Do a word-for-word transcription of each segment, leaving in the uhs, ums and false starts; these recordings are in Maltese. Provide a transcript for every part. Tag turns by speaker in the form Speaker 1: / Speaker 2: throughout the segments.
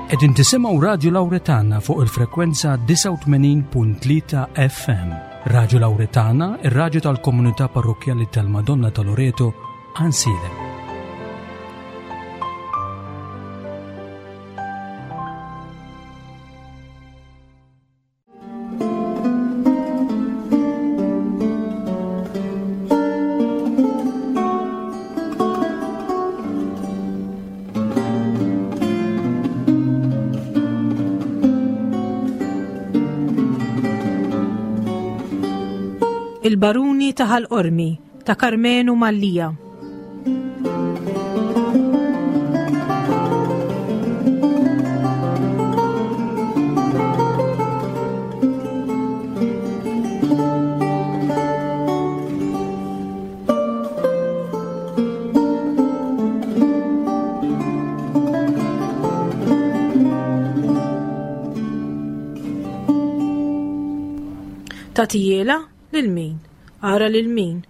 Speaker 1: Qegħdin tisimgħu Radio Lauretana fuq il-frekwenza disgħa u tmenin punt tlieta F M. Radio Lauretana, ir-radju tal-Komunità Parrokkjali tal-Madonna ta' Loreto, Għajnsielem.
Speaker 2: Il-Baruni ta' Ħal Qormi ta' Karmenu Mallia. Tatijiela lil min? Ara lil min?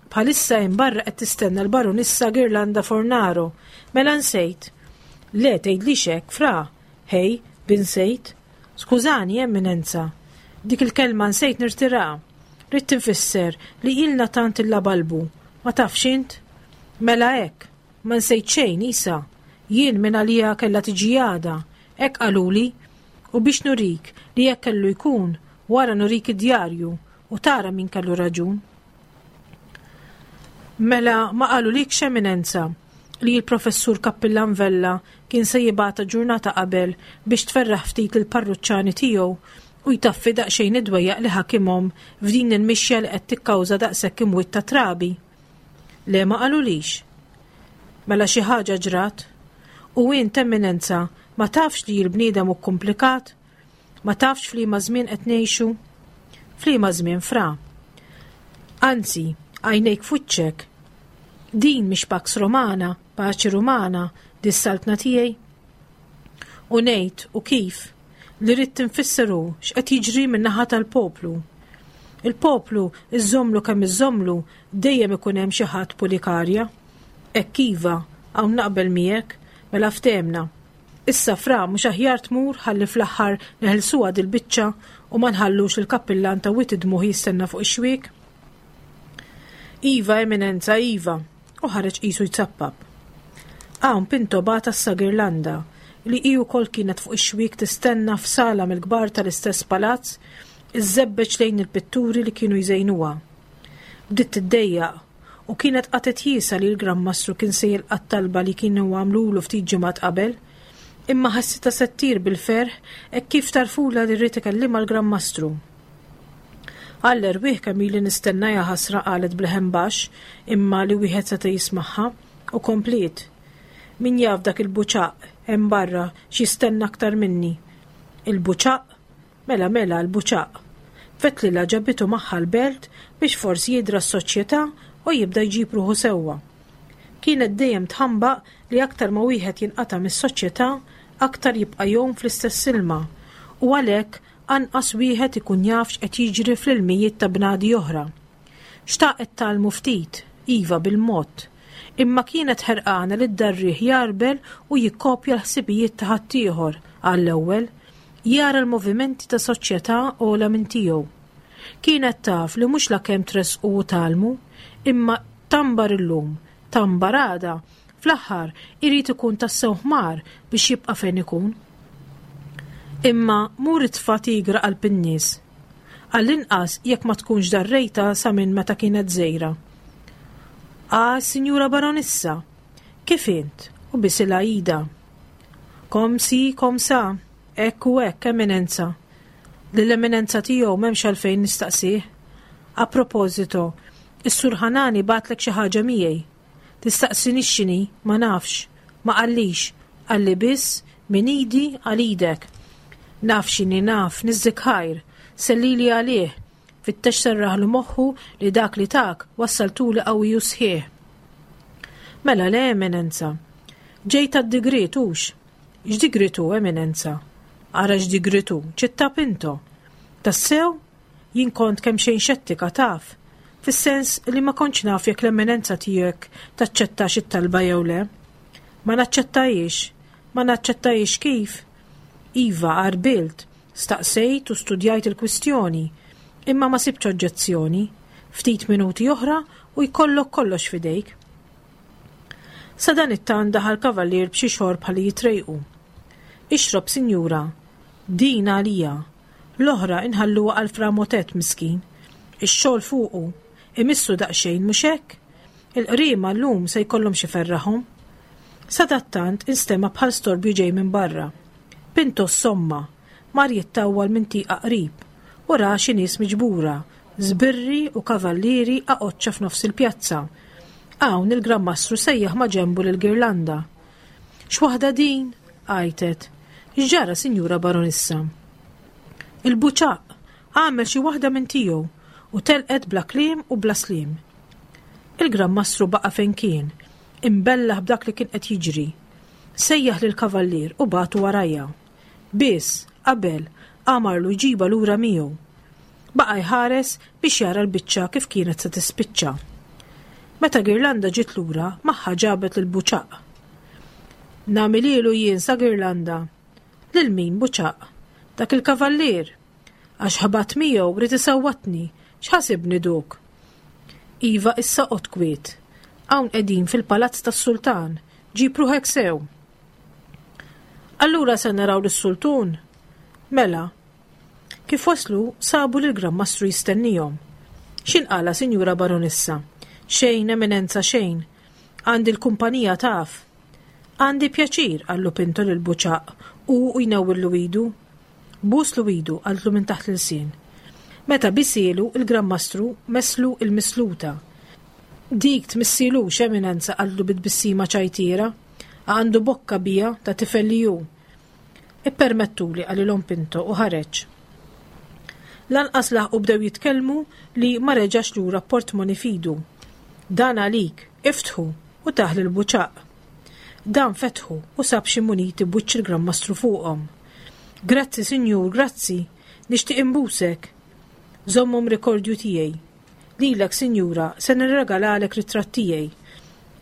Speaker 2: Bħalissa hemm barra qed tistenna l-Baronissa Girlanda Fornaro. Mela nsejt. Le, tgħidlix hekk, fra. Hej, binsejt. Skużani, Eminenza. Dik il-kelma nsejt nirtira. Ridt infisser li ilna tant il-labalbu. Ma tafx int? Mela hekk. Ma nsejt xejn, isa. Jien minn għalija kellha tiġi għada. Hekk qaluli. U biex nurik li hekk kellu jkun, wara nurik id-djarju u tara min kellu raġun. Mela ma qalulikx, Eminenza, li l-professur Kappillan Vella kien se jibgħatha ġurnata qabel biex tferraħ ftit il-parruċċani tiegħu u jtaffi daqsxejn id-dwejjaq li ħakimhom f'din il-mixja li qed tikkawża daqshekk imwiet ta' trabi. Le, ma qalulix. Mela xi ħaġa ġrat. U int, Eminenza, ma tafx li l-bniedem hu komplikat? Ma tafx f'liema żmien qed ngħixu? F'liema żmien, fra? Anzi, għajnejk f'wiċċek. Din mhix Pax Romana, paċi Rumana, dis-saltna tiegħi? U ngħid u kif li rrid tinfisser hu x'qed jiġri min-naħa tal-poplu. Il-poplu iżomlu kemm iżomlu, dejjem ikun hemm xi ħadd pulikarja. Hekk iva, hawn naqbel miegħek, mela ftehemna. Issa, fra, mhux aħjar tmur ħalli fl-aħħar neħilsuha dil-biċċa u ma nħallux il-kappillan ta' Wied id-Dmugħ jistenna fuq ix-xwiek? Iva, Eminenza, iva, u ħareġ qisu jtsappap. Hawn Pinto bagħat għas-Sa Girlanda li hi wkoll kienet fuq ix-xwiek tistenna f'sala mill-kbar tal-istess palazz, iżżebbeġ lejn il-pitturi li kienu jżejnuha. Bdiet tiddejjaq u kienet qatet jiesa li l-Gran Mastru kien se jilqa' talba li kienu għamlulu ftit ġimgħat qabel, imma ħassitha se ttir bil-ferħ hekk kif tarfula li ried ikellimha l-Gran Mastru. "Għall-erwieħ kemm ili nistenna, ja ħasra," qalet b'leħen baxx imma li wieħed seta' jismagħha, u kompliet. "Min jaf dak il-buċaq hemm barra x'jistenna aktar minni. Il-buċaq? Mela mela l-buċaq. Fetlila ġabitu magħha l-belt biex forsi jidra s-soċjetà u jibda jġib ruħu sewwa." Kienet dejjem tħambaq li aktar ma wieħed jinqata' mis-soċjetà, aktar jibqa' jgħum fl-istess ilma u għalhekk anqas wieħed ikun jaf x'qed jiġri fl-ilmijiet ta' bnadi oħra. Xtaqet tgħallmu ftit, iva bil-mod, imma kienet ħerqana li ddarrih jarbel u jikkopja l-ħsibijiet ta' ħaddieħor għall-ewwel, jara l-movimenti ta' soċjetà ogħla minn tiegħu. Kienet taf li mhux lakemm tressqu u tgħallmu, imma tambar illum, tambar għada, fl-aħħar irid ikun tassew ħmar biex jibqa' fejn ikun. Imma mur itfa' tigra qalb in-nies. Għall-inqas jekk ma tkunx darrejta sa minn meta kienet żgħira. "Ah, Sinjura Baronissa, kif int?" u bisilha idha. "Comme ci, comme ça, hekk u hekk, Eminenza." Lill-Eminenza tiegħu m'hemmx għalfejn nistaqsih. "A proposito, is-Sur Ħanani bagħatlek xi ħaġa miegħi. Tistaqsinix x'inhi, ma nafx, ma qallix, qalli biss minn idi għal idek." "Naf x'inhi, naf, niżżik ħajr, sellili għalih, fittex serraħlu moħħu li dak li tak wassaltuli qawwi u sħiħ." "Mela le, Eminenza. Ġejt għad-digriet hux?" "X'digriet hu, Eminenza?" "Ara x'digriet hu, Ċittà Pinto." "Tassew? Jien kont kemm xejn xettika, taf. Fis-sens li ma kontx naf jekk l-Eminenza tiegħek taċċettax it-talba jew le." "Ma naċċettajiex." "Ma naċċettajiex kif?" Iva, għarbilt, staqsejt u studjajt il-kwistjoni, imma ma sibtx oġġezzjoni. Ftit minuti oħra u jkollok kollox f'idejk. Sadanittant daħal kavallier b'xi xorb ħalli jitrejqu. Ixrob, sinjura, din għalija. L-oħra inħalluha għal Fra Motet miskin. Ix-xogħol fuqu, imissu daqsxejn mhux hekk? Il-qriema llum se jkollhom xi ferraħhom. Sadattant instema' bħal storbju ġej minn barra. Pinto somma, mar jittawwal minn tieqa qrib u ra xi nies miġbura, żbirri u kavallieri aqoċċa f'nofs il-pjazza. Hawn il-Gran Mastru sejjaħ ma' ġenbu lil Girlanda. X'waħda din? Għajtet. X'ġara, Sinjura Baronissa? Il-buċaq għamel xi waħda minn tiegħu u telqet bla kliem u bla sliem. Il-Gran Mastru baqa' fejn kien, imbellaħ b'dak li kien qed jiġri. Sejjaħ lill-kavallier u bagħtu warajja. Biss, qabel, amarlu jġibha lura miegħu. Baqa' jħares biex jara l-biċċa kif kienet se tispiċċa. Meta Girlanda ġiet lura, magħha ġabet lil Buċaq. Nagħmilielu jien sa Girlanda. Lil min Buċaq? Dak il-kavallier. Għax ħabat miegħu ried isawwatni, x'ħasibni duk? Iva issa qgħod kwiet. Hawn qegħdin fil-palazz tas-sultan, ġib ruħek sew. Allura se naraw lis-sultun? Mela. Kif waslu, sabu lil Gran Mastru jistennihom. X'inqala, Sinjura Baronissa? Xejn, Eminenza, xejn. Għandi l-kumpanija taf. Għandi pjaċir, qallu Pinto lil Buċaq u jnewwillu idu. Buslu idu, qaltlu minn taħt l-ilsien. Meta bisielu, il-Gran Mastru meslu il-misluta. Dik tmissilux, Eminenza, qaltlu bit-tbissima ċajtiera. Għandu bokka bija ta' tifel li hu. Ippermettuli, qalilhom Pinto u ħareġ. Lanqas laħqu bdew jitkellmu li ma reġax lura portmoni fidu. Dan għalik, iftħu u taħ lil Buċaq. Dan fetħu u sab xi muniti b'wiċċ il-Gran Mastru fuqhom. Grazzi, sinjur, grazzi, nixtieq imbusek. Żommhom rikordju tiegħi. Lilek, sinjura, se nirregalalek ritratt tiegħi.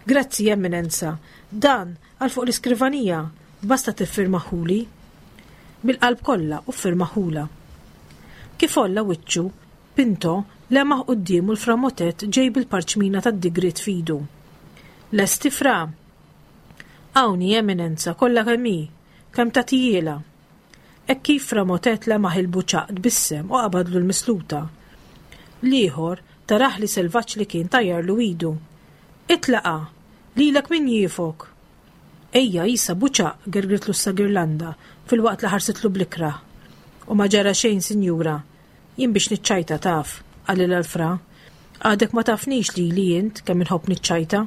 Speaker 2: Grazzi, Eminenza, dan għal fuq l-iskrivanija, basta tiffirmaħuli. Bil-qalb kollha u ffirmaħula. Kif olla wiċċu, Pinto lemaħ quddiemu l-framotet ġej bil-parċmina tad-digriet fidu. Lesti fra? Hawnhi, Eminenza, kollha kemm hi, kemm tagħtijielha. Hekk kif framotet lemaħ il-buċaq tbissem u qabadlu l-misluta. L-ieħor taraħ li selvaġġ li kien tajjarlu idu. Itlaqa, lilek min jiefok. Ejja, isa buċaq, gergritlu sa Girlanda fil-waqt li ħarsitlu blikrah. U ma ġara xejn, sinjura, jien biex niċċajta taf, qalilha l-fra. Għadek ma tafnix li li int kemm inħobb niċċajta.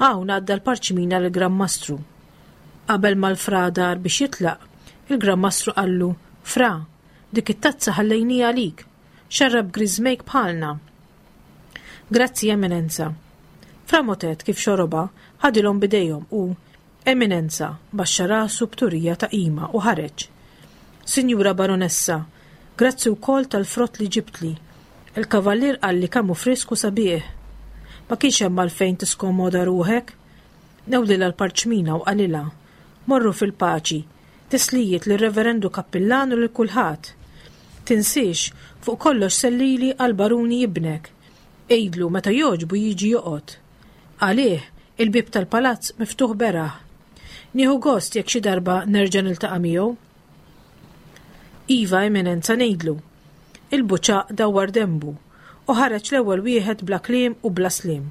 Speaker 2: Hawn għadda l-parċmina lill-Gran Mastru. Qabel ma l-fra dar biex jitlaq, il-Gran Mastru qallu, Fra, dik it-tazza ħallejnija għalik, xarrab griżmejk bħalna. Grazzi, Eminenza. Fra Motet kif xoroba, ħadilhom bidejhom u, Eminenza, baxxa rasu b'turija ta' qima u ħareġ. Sinjura Baronessa, grazzi wkoll tal-frott li ġibtli. Il-kavallier qalli kemm hu frisku sabiħ. Ma kienx hemm għalfejn tiskomoda ruħek. Newlilha l-parċmina u qalilha, Morru fil-paċi, tislijiet lir-Reverendu Kappillan u lil kulħadd. Tinsiex, fuq kollox sellili għal-baruni ibnek. Għidlu meta jogħġbu jiġi joqgħod. Għalih, il-bieb tal-palazz miftuħ beraħ. Nieħu gost jekk xi darba nerġa' niltaqa' miegħu. Iva, Eminenza, ngħidlu. Il-buċaq dawwar dembu u ħareġ l-ewwel wieħed bla kliem u bla sliem.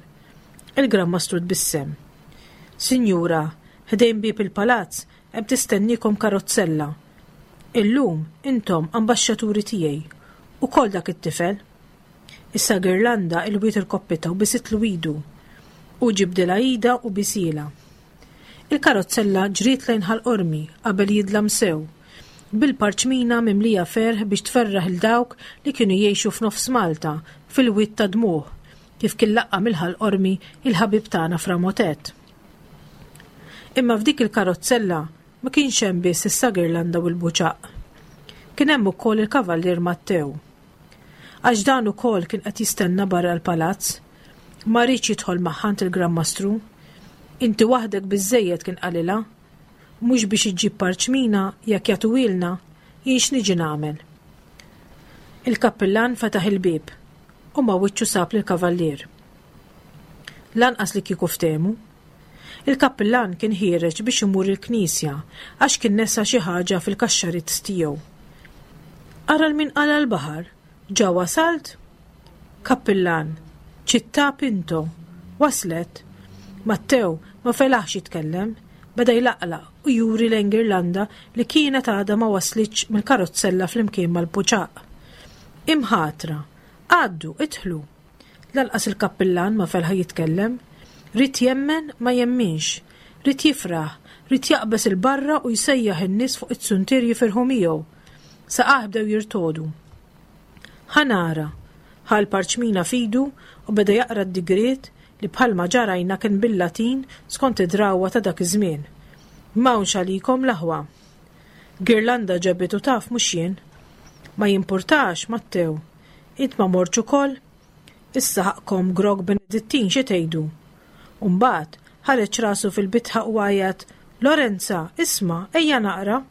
Speaker 2: Il-Gran Mastru tbissem. Sinjura, ħdejn bieb il-palazz hemm tistennikom karozzella. Illum intom ambaxxaturi tiegħi ukoll dak it-tifel. Issa Girlanda ilwiet irkoppitha u bisitlu idu. U ġibdilha ida u bisielha. Il-karozzella ġriet lejn Ħal Qormi qabel jidlam sew, bil-parċmina mimlija ferħ biex tferraħ il dawk li kienu jgħixu f'nofs Malta fil-wied ta' dmuħ, kif kien laqqa mill-Ħal Qormi il-ħabib tagħna Fra Motet. Imma f'dik il-karozzella ma kienx hemm biss issa Girlanda u l-Buċaq. Kien hemm ukoll il-Kavallier Mattew. Għax dan ukoll kien qed jistenna barra l-palazz, ma riedx jidħol magħha għand il-Gran Mastru. Inti waħdek biżżejjed kien qalilha. Mhux biex iġġib parċmina jekk jagħtuhielna, jien x'niġi nagħmel. Il-kappillan fetaħ il-bieb u ma' wiċċu sab lill-kavallier. Lanqas li kieku ftehmu. Il-kappillan kien ħiereġ biex imur il-knisja għax kien nesa xi ħaġa fil-kaxxarizz tiegħu. Ara l-min qala l-baħar, ġa wasalt? Kappillan, Ċittà Pinto, waslet? Mattew ma felaħx jitkellem, beda jlaqlaq u juri lejn Girlanda li kienet għadha ma waslitx mill-karozzella flimkien mal-puċaq. Imħatra, għaddu, idħlu. Lanqas il-kappillan ma felħa jitkellem. Ried jemmen ma jemminx, ried jifraħ, ried jaqbeż 'il barra u jsejjaħ in-nies fuq iz-zuntier jifirħu miegħu. Saqajh bdew jirtogħdu. Ħa nara, ħa l-parċmina f'idu u beda jaqra d-digriet li bħalma ġarajna kien bil-Latin skont id-drawwa ta' dak iż-żmien. M'hawnx għalikom l-aħwa. Girlanda ġabitu taf mhux jien. Ma jimpurtax, Mattew. Int ma mortx ukoll? Issa ħaqqkom grokk Benedittin xi tgħidu. U mbagħad ħareġ rasu fil-bitħa u għajat, Lorenza, isma', ejja naqra.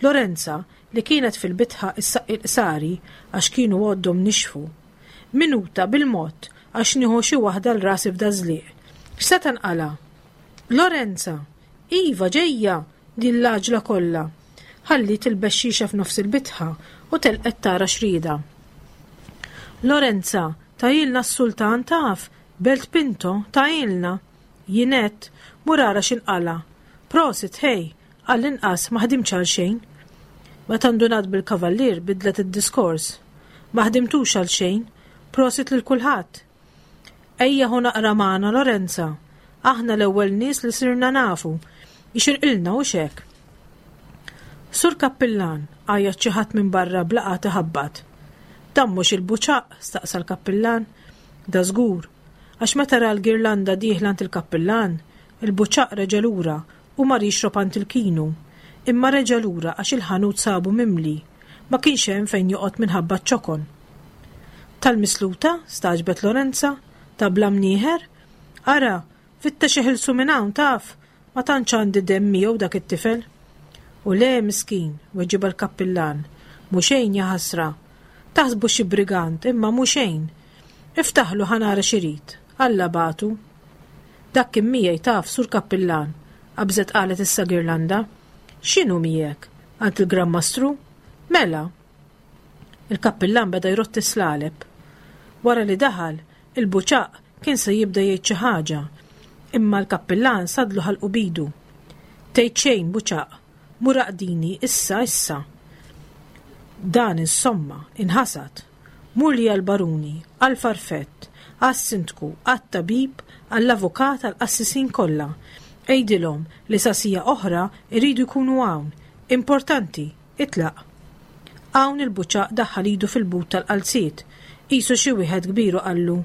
Speaker 2: Lorenza, li kienet fil-bitħa issaqqi l-qsari għax kienu għoddhom nixfu. Minuta bil-mod għax nieħu xi waħda 'l rasi f'dażliq. X'se tanqala? Lorenza, iva ġejja din l-għaġla kollha. Ħalliet il-bexxixa f'nofs il-bitħa u telqet tara x'riedha. Lorenza, tajilna s-sultan taf, Belt Pinto, tajilna. Jien għedt, mur ara x'inqala. Prosit, ħej, għall-inqas ma ħdimtx għal xejn. Meta ndunat bil-kavallier bidlet id-diskors. Ma ħdimtux għal xejn, prosit lil kulħadd. Ejja ħu naqra magħna Lorenza. Aħna l-ewwel nies li sirna nafu. Ixirqilna u xek. Sur Kappillan, għajjat xi ħadd minn barra blaqat iħabbat. Dan mhux il-buċaq, staqsa l-kappillan. Da żgur, għax meta ra l-girlanda dieħla għand il-kappillan, il-buċaq reġa' lura u mar jixrob għand il-kinu. Imma reġa' lura għax il-ħanut sabu mimli. Ma kienx hemm fejn joqgħod minħabba ċ-ċokon. Tal-misluta, stagħġbet Lorenza, ta' bla mnieħer? Ara, fittex iħilsu minn hawn taf, ma tantx għandi demm miegħu dak it-tifel. U le miskin, weġibha l-kappillan, mhu xejn jaħasra. Taħsbu xi brigant, imma mhu xejn. Iftaħlu ħa nara x'irid, Alla bagħtu. Dak kien miegħi taf, sur kappillan, qabżet qalet issa Girlanda. X'inhu miegħek? Għand il-Gran Mastru? Mela. Il-kappillan beda jrotti slaleb. Wara li daħal, il-buċaq kien se jibda jgħid xi ħaġa, imma l-kappillan sadlu ħalqu bidu. Tgħid xejn buċaq, mur aqdini issa issa. Dan insomma inħasad. Mur li għall-baruni, għall-farfett, għas-sindku, għat-tabib, għall-avukat, għall-qassisin kollha. Għidilhom li sa siegħa oħra jridu jkunu hawn. Importanti, itlaq. Hawn il-buċaq daħħal idu fil-but tal-qalziet, qisu xi wieħed kbir u qallu.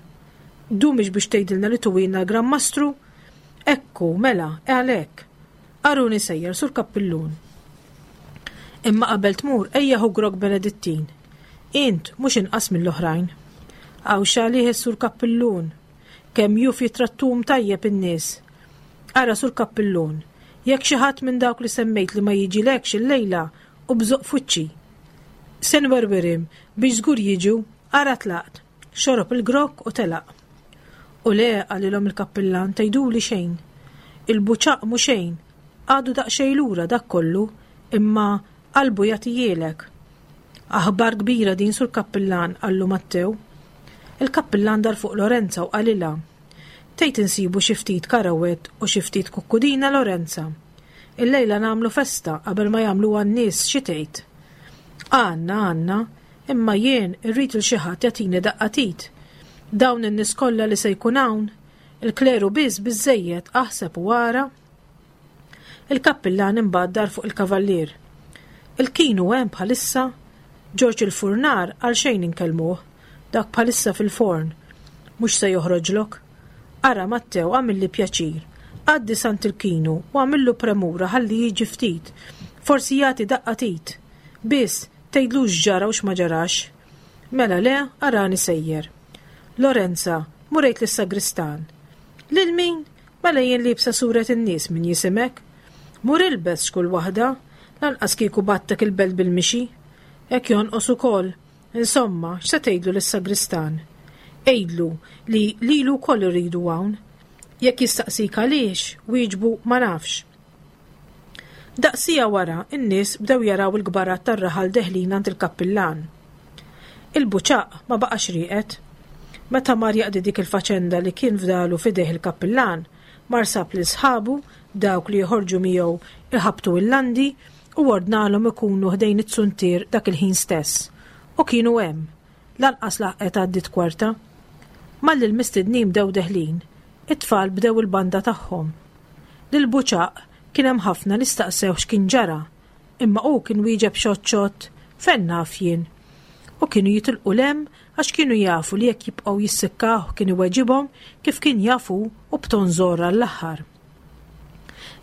Speaker 2: Dumix biex tgħidilna li tuwilna l-Gran Mastru? Ekku, mela, għalhekk. Aruni sejjer sur kappillun. Imma qabel tmur ejja ħu grokk Benedittin. Int mhux inqas mill-oħrajn. Hawn x'għalih is-sur kappillun. Kemm juf jitrattum tajjeb in-nies. Ara sur kappillun, jekk xi ħadd minn dawk li semmejt li ma jiġilekx illejla u bżoq f'wiċċi. Se nwerwirim biex żgur jiġu, ara tlaqt. Xorob il-grokk u telaq. U le, qalilhom il-kappillan, tgħiduli xejn. Il-buċaq mhu xejn, għadu daqsxejn lura dak kollu, imma qalbu jagħtijielek. Aħbar kbira din sur kappillan, qallu Mattew. Il-kappillan dar fuq Lorenza u qalilha. Tgħid insibu xi ftit karawett u xi ftit kukkudina Lorenza. Illejla nagħmlu festa qabel ma jagħmluha n-nies xi tgħid. Għandna, għandna, imma jien irrid il xi ħadd jagħtini daqqa t'id. Dawn in-nies kollha li se jkun hawn, il-kleru biss biżejjed aħseb u ara. Il-kappillan imbagħad dar fuq il-kavallier. Il-kinu hemm bħalissa, Ġorġ il-furnar għal xejn inkellmuh, dak bħalissa fil-forn, mhux se joħroġlok. Ara Mattew għamilli pjaċir, għaddi sant il-kinu u għamillu premura ħalli jiġi ftit, forsi jagħti daqqa t'id. Biss tgħidlux ġara u x'ma ġarax. Mela le, arani sejjer. Lorenza, murejt lis-sagristan. Lil min? Mela jien liebsa suret in-nies min jisimek. Mur ilbes x'kull waħda, lanqas kieku battek il-belt bil-mixi. Hekk jonqos ukoll. Insomma, x'se tgħidlu lis-sagristan? Għidlu li lilu wkoll irridu hawn. Jekk jistaqsik għaliex, wieġbu ma nafx. Daqsija wara, in-nies bdew jaraw il-kbarat tar-raħal deħlin għand il-kappillan. Il-Buċaq ma baqax rieqed. Meta mar jaqdi dik il-faċenda li kien fdalu f'idejh il-kappillan, mar sab lil sħabu, dawk li joħorġu miegħu iħabbtu il-landi, u ordnalhom ikunu ħdejn it-suntier dak il-ħin stess. U kienu hemm. Lanqas laħqet għaddiet kwarta. Malli l-mistednin bdew deħlin, it-tfal bdew il-banda tagħhom. Lil Buċaq kien hemm ħafna li staqsew x'kien ġara, imma hu kien wieġeb xott xott, fejn naf jien. U kienu jitilqu lem għax kienu jafu li jekk jibqgħu jissikkawh kien iweġibhom kif kien jafu u b'ton żorra l-aħħar.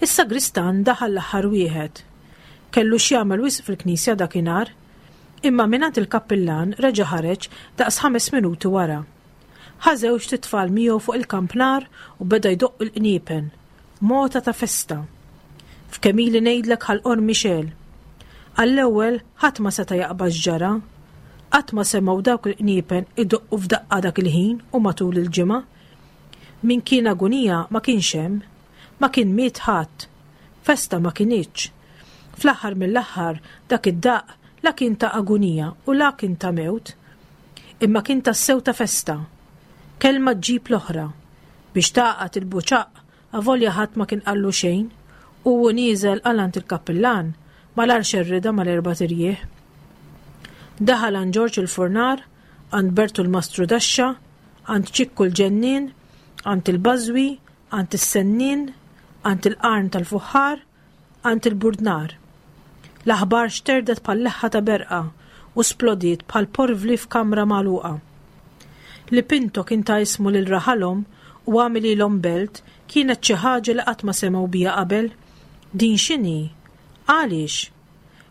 Speaker 2: Is-sagristan daħal l-aħħar wieħed. Kellu x'jagħmel wisq fil-knisja dakinhar, imma mingħand il-kappillan reġa' ħareġ daqs ħames minuti wara. Ħa żewġt itfal miegħu fuq il-kampnar u beda jdoqq il-qniepen. Mota ta' festa. F'kemm ili ngħidlek Ħal Qormi xegħel. Għall-ewwel ħadd ma seta' jaqbad x'ġara. Qatt ma semgħu dawk il-qniepen idoqqu f'daqqa dak il-ħin u matul il-ġimgħa. Min kien agunija ma kienx hemm. Ma kien miet ħadd. Festa ma kinitx. Fl-aħħar mill-aħħar dak id-daqq la kien ta' agunija u la kien ta' mewt. Imma kien tassew ta' festa. Kelma ġġib l-oħra. Biex taqgħad il-Buċaq avolja ħadd ma kien qallu xejn u hu nieżel għal għand il-kappillan malar xerrida mal-erba' tirjieħ. Daħal għand Ġorġ il-Furnar, għand Bertu l-Mastru Daxxa, għand Ċikku l-Ġennien, għand il-Bażwi, għand is-Sennin, għand il-Qarn tal-Fuħħar, għand il-Burdnar. L-aħbar xterdet bħal leħħa ta' berqa u splodiet bħal porvli f'kamra magħluqa. Li Pinto kien ta' ismu lil raħalhom u għamililhom belt kienet xi ħaġa li qatt ma semgħu biha qabel. Din x'inhi? Għaliex?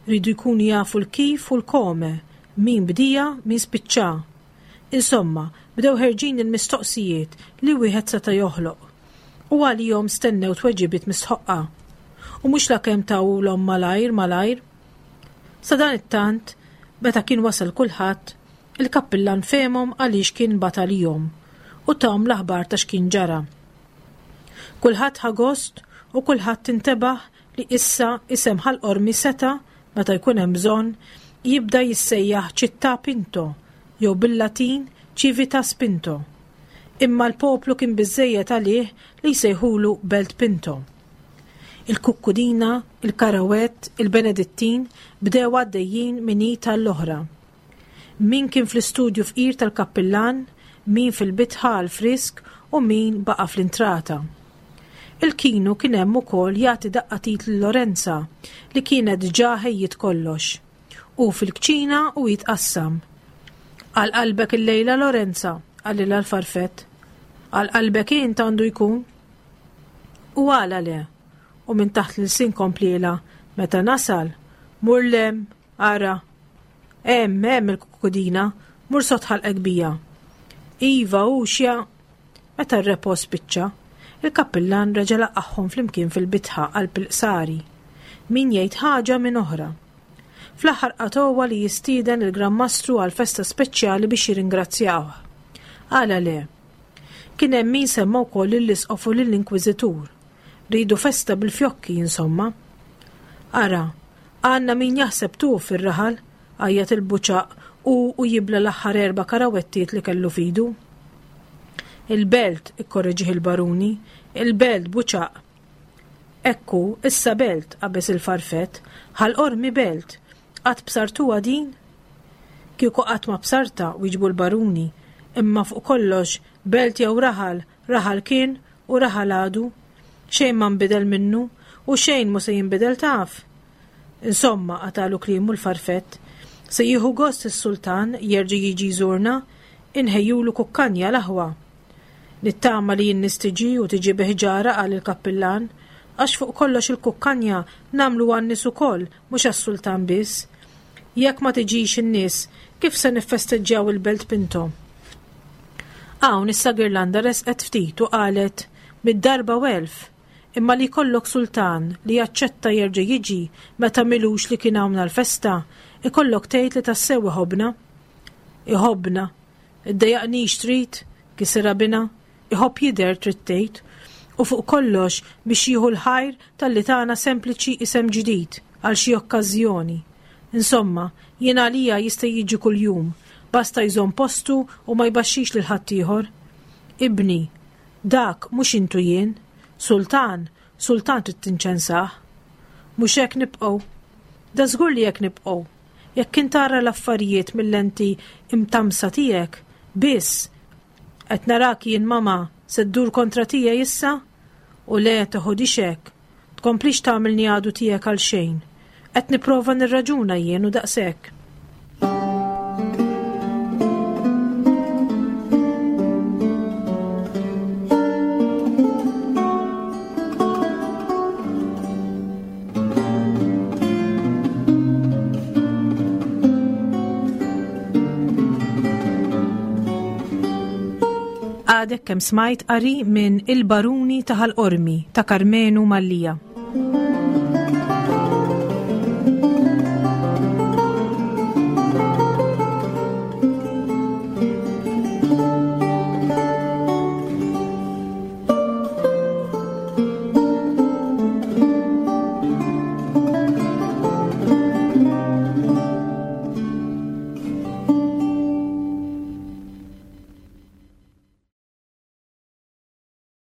Speaker 2: Ridu jkunu jafu l-kif u l-kome, min bdija, min spiċċa. Insomma, bdew ħerġin il-mistoqsijiet li wieħed seta' joħloq. U għalihom stennew tweġibiet mistħoqqa. U mhux lakemm tawulhom malajr malajr. Sa dan it-tant, meta kien wasal kulħadd, il-kappillan fehmhom għaliex kien bagħat għalihom u tahom l-aħbar ta' x'kien ġara. Kulħadd ħa gost u kulħadd intebaħ li issa isem Ħal Qormi seta', meta jkun hemm bżonn, jibda jissejjaħ Città Pinto jew bil-Latin Civitas Pinto. Imma l-poplu kien biżżejjed għalih li jsejħulu Belt Pinto. Il-Kukkudina, il-Karawett, il-Benedittin bdew għaddejjin minn id tal-oħra. Min kien fl-istudju fqir tal-kappillan, min fil-bitħa għal frisk u min baqa' fl-intrata. Il-kinu kien hemm ukoll jagħti daqqa t'id lil Lorenza li kienet ġa ħejjiet kollox. U fil-kċina u jitqassam. Għal qalbek il-lejla Lorenza, qalilha l-farfett. Għal qalbek int għandu jkun. U għala le. U minn taħt l-sin kompliela, meta nasal, mur lem, ara. Hemm, hemm il-kukudina, mur sod ħalqek bija. Iva, u xja. Meta r-repos spiċċa, il-kappillan reġa' laqagħhom flimkien fil-bitħa qalb il-qsari. Min jgħid ħaġa minn oħra. Fl-aħħar qatgħuha li jistieden il-Gran Mastru għal festa speċjali biex jirringrazzjawh. Għala le. Kien hemm min semma wkoll lill-isqof u lill-inkwiżitur. Ridu festa bil-fjokki, insomma. Ara, għandna min jaħseb tu fir-raħal, għajjat il-Buċaq u, u jibla l-aħħar erba' karawettiet li kellu fidu. Il-belt, ikkorreġih il-baruni, il-belt Buċaq. Ekku, issa belt, qabeż il-farfett, Ħal Qormi belt, qatt bsartuha din? Kieku qatt ma bsarta, wieġbu l-baruni, imma fuq kollox, belt jew raħal, raħal kien u raħal għadu. Xejn ma nbidel minnu u xejn mu se jinbidel taf. Insomma, qatalu kliemu l-farfett, se jieħu gost is-sultan jerġa' jiġi jżurna, inħejjulu kukkanja l-aħwa. Nittama li n-nies tiġi u tiġi biħġara, qal il-kappillan, għax fuq kollox il-kukkanja nagħmlu għan-nies ukoll, mhux għas-sultan biss. Jekk ma tiġix in-nies, kif se niffesteġġjaw il-Belt Pinto? Hawn issa Girlanda resqet ftit u qalet, mid-darba u elf, Imma li jkollok sultan li jaċċetta jerġa' jiġi meta m'ilux li kien hawn għall-festa, ikollok tgħid li tassew iħobbna. Iħobbna. Iddejjaqnix trid, kisirha binha, iħobb jidher trid tgħid. U fuq kollox biex jieħu l-ħajr talli tana sempliċi isem ġdid għal xi okkażjoni. Insomma, jien għalija jista' jiġi kuljum, basta jżomm postu u ma jbaxxix lil ħaddieħor. Ibni, dak mhux intu jien, sultan, sultan trid tinċensah. Mhux hekk nibqgħu. Da żgur li hekk nibqgħu. Jekk int tara l-affarijiet mill-lenti imtamsa tiegħek, biss qed narak jien mama se ddur kontra tiegħi issa? U le teħodix hekk. Tkomplix tagħmilni għadu tiegħek għal xejn. Qed nipprova nirraġuna jien u daqshekk. Għadek kemm smajt qari minn Il-Baruni ta' Ħal Qormi ta' Karmenu Mallia.